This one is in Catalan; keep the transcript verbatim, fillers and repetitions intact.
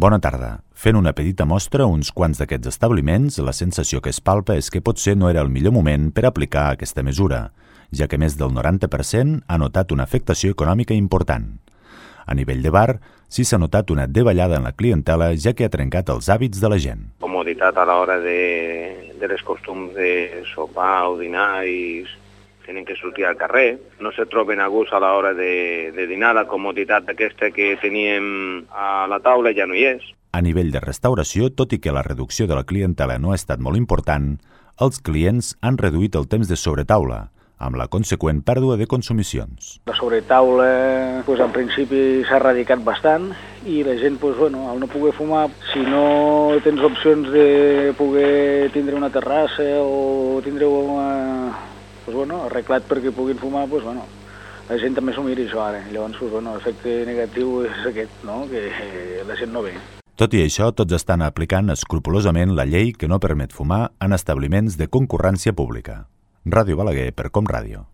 Bona tarda. Fent una petita mostra a uns quants d'aquests establiments, la sensació que es palpa és que potser no era el millor moment per aplicar aquesta mesura, ja que més del noranta per cent ha notat una afectació econòmica important. A nivell de bar, sí s'ha notat una davallada en la clientela, ja que ha trencat els hàbits de la gent. Comoditat a l'hora de, de les costums de sopar o dinar i tenen que sortir al carrer, no se troben a gust a l'hora de, de dinar, la comoditat aquesta que teníem a la taula ja no hi és. A nivell de restauració, tot i que la reducció de la clientela no ha estat molt important, els clients han reduït el temps de sobretaula, amb la conseqüent pèrdua de consumicions. La sobretaula, pues, en principi s'ha erradicat bastant i la gent, pues, bueno, al no poder fumar, si no tens opcions de poder tindre una terrassa o tindre una, pues, bueno, arreglat perquè puguin fumar, pues, bueno, la gent també s'ho mira això ara. Llavors, pues, bueno, l'efecte negatiu és aquest, no? Que la gent no ve. Tot i això, tots estan aplicant escrupolosament la llei que no permet fumar en establiments de concurrència pública. Ràdio Balaguer per Com Ràdio.